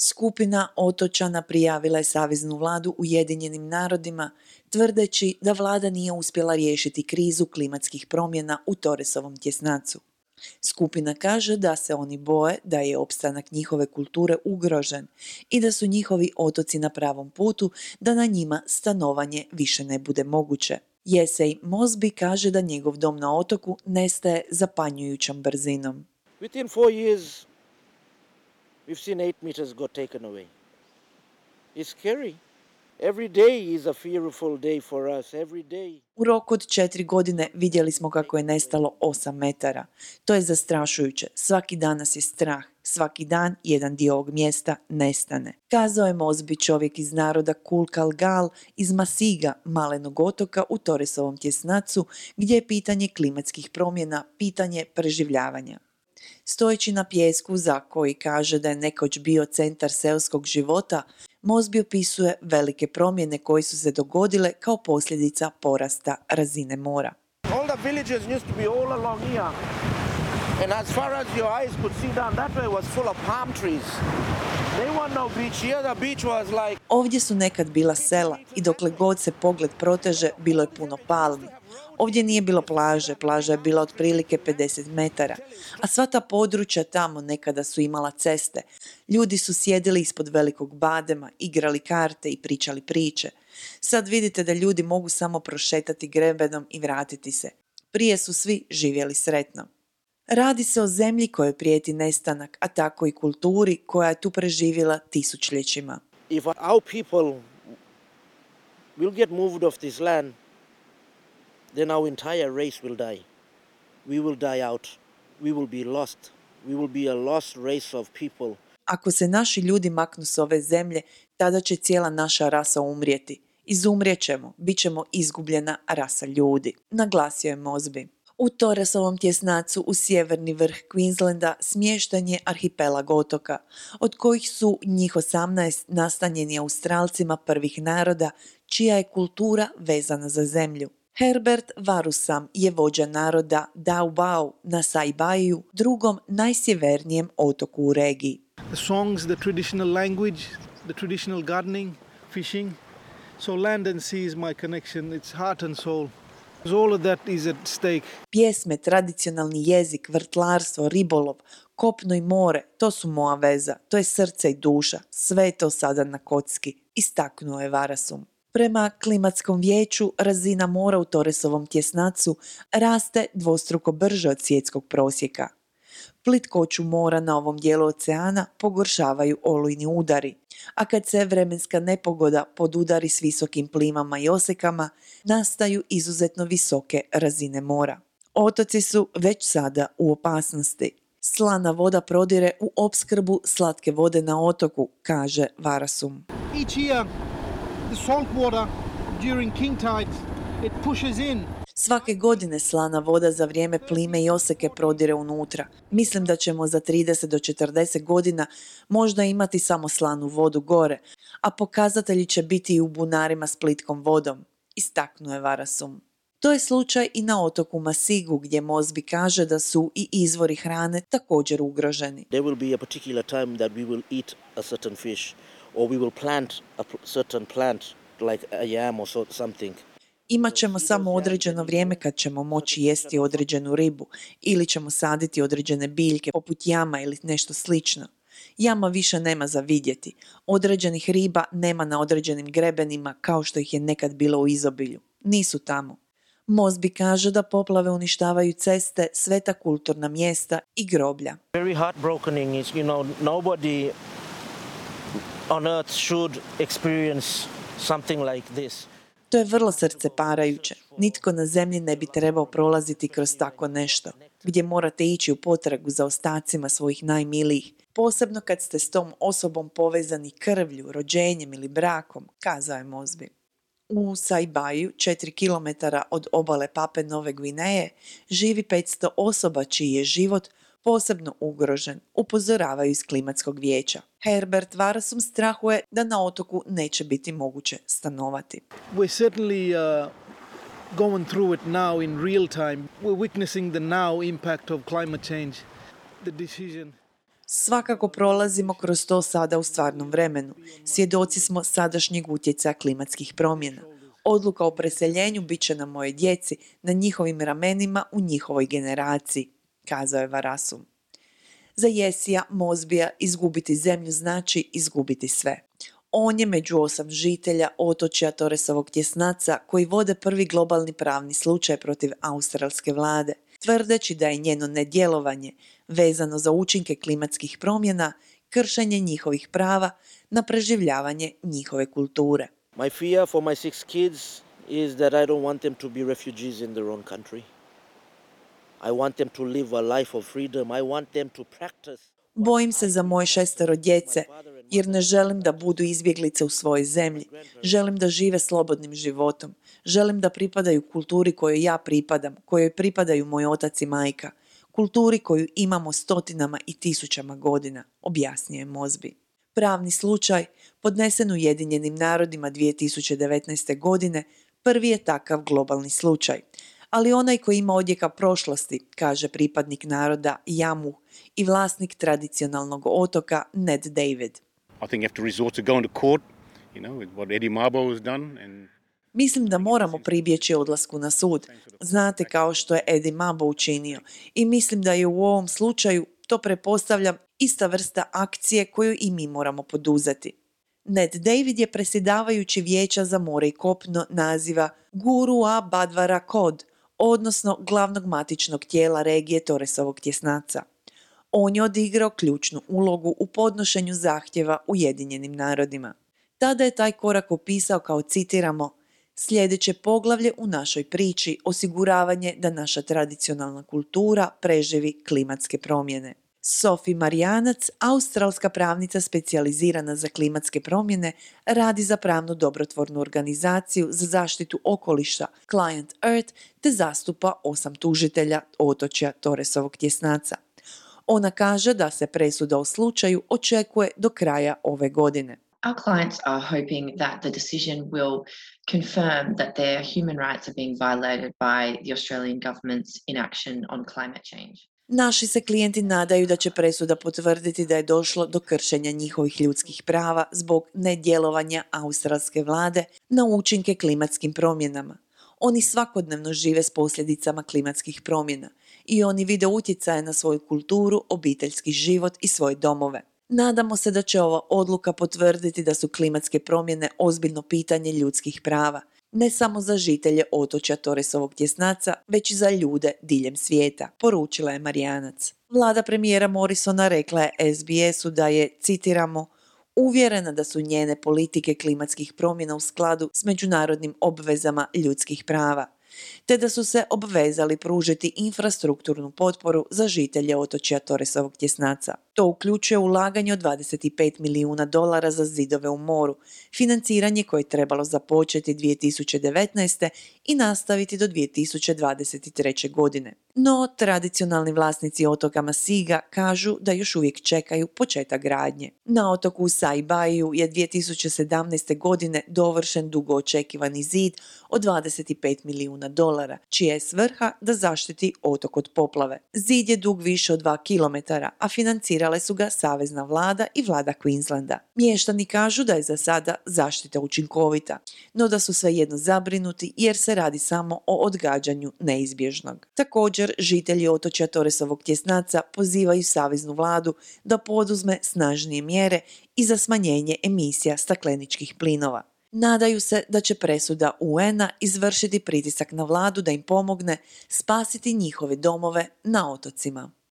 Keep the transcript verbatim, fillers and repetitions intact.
Skupina otočana prijavila je Saveznu vladu Ujedinjenim narodima, tvrdeći da vlada nije uspjela riješiti krizu klimatskih promjena u Torresovom tjesnacu. Skupina kaže da se oni boje da je opstanak njihove kulture ugrožen i da su njihovi otoci na pravom putu da na njima stanovanje više ne bude moguće. Jesej Mosby kaže da njegov dom na otoku nestaje zapanjujućom brzinom. Within four years, we've seen eight meters got taken away. It's scary. Every day is a fearful day for us. Every day. U roku od četiri godine vidjeli smo kako je nestalo osam metara. To je zastrašujuće. Svaki dan nas je strah. Svaki dan jedan dio ovog mjesta nestane. Kazao je Mosby, čovjek iz naroda Kulkalgal iz Masiga, malenog otoka u Torresovom tjesnacu, gdje je pitanje klimatskih promjena pitanje preživljavanja. Stojeći na pijesku za koji kaže da je nekoć bio centar seoskog života, Mosby opisuje velike promjene koje su se dogodile kao posljedica porasta razine mora. All the villages used to be all along here. And as far as your eyes could see down that way was full of palm trees. There was no beach here. The beach was like... Ovdje su nekad bila sela i dokle god se pogled proteže bilo je puno palmi. Ovdje nije bilo plaže, plaža je bila otprilike pedeset metara, a sva ta područja tamo nekada su imala ceste. Ljudi su sjedili ispod velikog badema, igrali karte i pričali priče. Sad vidite da ljudi mogu samo prošetati grebenom i vratiti se. Prije su svi živjeli sretno. Radi se o zemlji kojoj prijeti nestanak, a tako i kulturi koja je tu preživjela tisućljećima. If our people will get moved off this land, then our entire race will die. We will die out. We will be lost. We will be a lost race of people. Ako se naši ljudi maknu s ove zemlje, tada će cijela naša rasa umrijeti. Izumrijet ćemo, bit ćemo izgubljena rasa ljudi, naglasio je Mosby. U Torresovom tjesnacu u sjeverni vrh Queenslanda smješten je arhipelag otoka, od kojih su njih osamnaest nastanjeni Australcima prvih naroda, čija je kultura vezana za zemlju. Herbert Varusam je vođa naroda Daubau na Saibaiju, drugom najsjevernijem otoku u regiji. The songs, the traditional language, the traditional gardening, fishing. So land and sea is my connection, it's heart and soul. All of that is at stake. Pjesme, tradicionalni jezik, vrtlarstvo, ribolov, kopno i more, to su moja veza, to je srce i duša, sve je to sada na kocki, istaknuo je Varasum. Prema klimatskom vijeću, razina mora u Torresovom tjesnacu raste dvostruko brže od svjetskog prosjeka. Plitkoću mora na ovom dijelu oceana pogoršavaju olujni udari, a kad se vremenska nepogoda podudari s visokim plimama i osekama, nastaju izuzetno visoke razine mora. Otoci su već sada u opasnosti. Slana voda prodire u opskrbu slatke vode na otoku, kaže Varasum. Each year, the salt water during king tide, it pushes in. Svake godine slana voda za vrijeme plime i oseke prodire unutra. Mislim da ćemo za trideset do četrdeset godina možda imati samo slanu vodu gore, a pokazatelji će biti i u bunarima s plitkom vodom, istaknuo je Varasum. To je slučaj i na otoku Masigu, gdje Mosby kaže da su i izvori hrane također ugroženi. There will be a particular time that we will eat a certain fish or we will plant a certain plant like a yam or something. Imat ćemo samo određeno vrijeme kad ćemo moći jesti određenu ribu ili ćemo saditi određene biljke poput jama ili nešto slično. Jama više nema za vidjeti. Određenih riba nema na određenim grebenima kao što ih je nekad bilo u izobilju. Nisu tamo. Mosby kaže da poplave uništavaju ceste, sveta kulturna mjesta i groblja. Very heartbroken is, you know, nobody on earth should experience something like this. To je vrlo srceparajuće. Nitko na zemlji ne bi trebao prolaziti kroz tako nešto, gdje morate ići u potragu za ostacima svojih najmilijih, posebno kad ste s tom osobom povezani krvlju, rođenjem ili brakom, kazao je Mosby. U Saibaju, četiri kilometara od obale Pape Nove Gvineje, živi petsto osoba čiji je život posebno ugrožen, upozoravaju iz klimatskog vijeća. Herbert Varasum strahuje da na otoku neće biti moguće stanovati. We're certainly uh, going through it now in real time. We're witnessing the now impact of climate change. The decision. Svakako prolazimo kroz to sada u stvarnom vremenu. Svjedoci smo sadašnjeg utjecaja klimatskih promjena. Odluka o preseljenju bit će na mojoj djeci, na njihovim ramenima u njihovoj generaciji, kazao je Varasum. Za Jesija Mosbija izgubiti zemlju znači izgubiti sve. On je među osam žitelja otočja Torresovog tjesnaca koji vode prvi globalni pravni slučaj protiv australske vlade, tvrdeći da je njeno nedjelovanje vezano za učinke klimatskih promjena kršenje njihovih prava na preživljavanje njihove kulture. My fear for my six kids is that I don't want them to be refugees in their own country. I want them to live a life of freedom. I want them to practice. Bojim se za moje šestero djece, jer ne želim da budu izbjeglice u svojoj zemlji. Želim da žive slobodnim životom. Želim da pripadaju kulturi kojoj ja pripadam, kojoj pripadaju moj otac i majka. Kulturi koju imamo stotinama i tisućama godina, objasnio je Mosby. Pravni slučaj, podnesen Ujedinjenim narodima dvije tisuće devetnaeste. godine, prvi je takav globalni slučaj. Ali onaj koji ima odjeka prošlosti, kaže pripadnik naroda Yamu i vlasnik tradicionalnog otoka Ned David. I think you have to resort to going to court, you know, with what Eddie Mabo has done. And Mislim da moramo pribjeći odlasku na sud. Znate, kao što je Eddie Mabo učinio. I mislim da je u ovom slučaju, to pretpostavljam, ista vrsta akcije koju i mi moramo poduzeti. Ned David je predsjedavajući Vijeća za more i kopno naziva Gurua Badvara Kod, odnosno glavnog matičnog tijela regije Torresovog tjesnaca. On je odigrao ključnu ulogu u podnošenju zahtjeva Ujedinjenim narodima. Tada je taj korak opisao kao, citiramo, sljedeće poglavlje u našoj priči, osiguravanje da naša tradicionalna kultura preživi klimatske promjene. Sophie Marijanac, australska pravnica specijalizirana za klimatske promjene, radi za pravnu dobrotvornu organizaciju za zaštitu okoliša Client Earth te zastupa osam tužitelja otočja Torresovog tjesnaca. Ona kaže da se presuda o slučaju očekuje do kraja ove godine. Our clients are hoping that the decision will confirm that their human rights are being violated by the Australian government's inaction on climate change. Naši se klijenti nadaju da će presuda potvrditi da je došlo do kršenja njihovih ljudskih prava zbog nedjelovanja australske vlade na učinke klimatskim promjenama. Oni svakodnevno žive s posljedicama klimatskih promjena i oni vide utjecaje na svoju kulturu, obiteljski život i svoje domove. Nadamo se da će ova odluka potvrditi da su klimatske promjene ozbiljno pitanje ljudskih prava, ne samo za žitelje otočja Torresovog tjesnaca, već i za ljude diljem svijeta, poručila je Marijanac. Vlada premijera Morrisona rekla je S B S-u da je, citiramo, uvjerena da su njene politike klimatskih promjena u skladu s međunarodnim obvezama ljudskih prava, te da su se obvezali pružiti infrastrukturnu potporu za žitelje otočja Torresovog tjesnaca. To uključuje ulaganje od dvadeset pet milijuna dolara za zidove u moru, financiranje koje je trebalo započeti dvije tisuće devetnaeste. i nastaviti do dvije tisuće dvadeset treće. godine. No, tradicionalni vlasnici otoka Masiga kažu da još uvijek čekaju početak gradnje. Na otoku Saibaiju je dvije tisuće sedamnaeste. godine dovršen dugo očekivani zid od dvadeset pet milijuna dolara, čija je svrha da zaštiti otok od poplave. Zid je dug više od dva kilometara, a financirale su ga savezna vlada i vlada Queenslanda. Mještani kažu da je za sada zaštita učinkovita, no da su svejedno zabrinuti jer se radi samo o odgađanju neizbježnog. Također, žitelji otočja Torresovog tjesnaca pozivaju saveznu vladu da poduzme snažnije mjere i za smanjenje emisija stakleničkih plinova. Nadaju se da će presuda U N-a izvršiti pritisak na vladu da im pomogne spasiti njihove domove na otocima.